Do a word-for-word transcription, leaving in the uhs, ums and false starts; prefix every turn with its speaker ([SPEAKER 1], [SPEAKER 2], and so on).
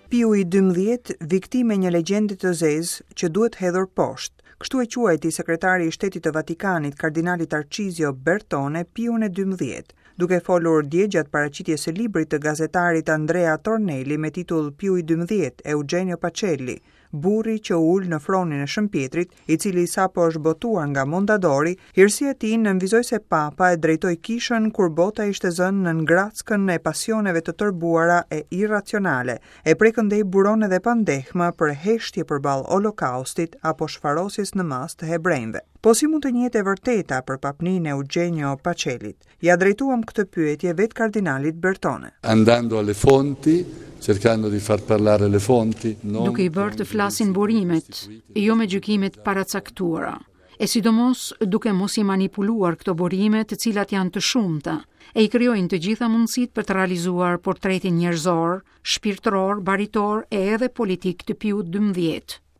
[SPEAKER 1] Piu i dymbëdhjetë, viktimë e një legjende të zezë që duhet hedhur poshtë. Kështu e quajti sekretari i Shtetit të Vatikanit, kardinali Tarcizio Bertone, Piun e dymbëdhjetë. Duke folur dje gjatë paraqitjes së librit të gazetarit Andrea Tornelli me titull Piu i dymbëdhjetë, Eugenio Pacelli, burri që u ul në fronin e Shën Pietrit, i cili sapo është botuar nga Mondadori, hirësia e tij nënvizoi se Papa e drejtoi kishën kur bota ishte zënë nën grackën e pasioneve të tërbuara e irracionale, e prej këndej buron edhe pandehma për heshtje përballë Holokaustit apo shfarosjes në masë të hebrejve. Po si mund të njihet e vërteta për papnin e Eugenio Pacellit? Ja drejtuam këtë pyetje vetë kardinalit Bertone.
[SPEAKER 2] Andando alle fonti, cercando di far parlare le fonti, non
[SPEAKER 3] duke i bërë të flasin burimet, jo me gjykimet paracaktuara, e sidomos duke mos i manipuluar këto burime të cilat janë të shumta, e i krijojnë të gjitha mundësitë për të realizuar portretin njerëzor, shpirtëror, baritor e edhe politik të Piut dymbëdhjetë.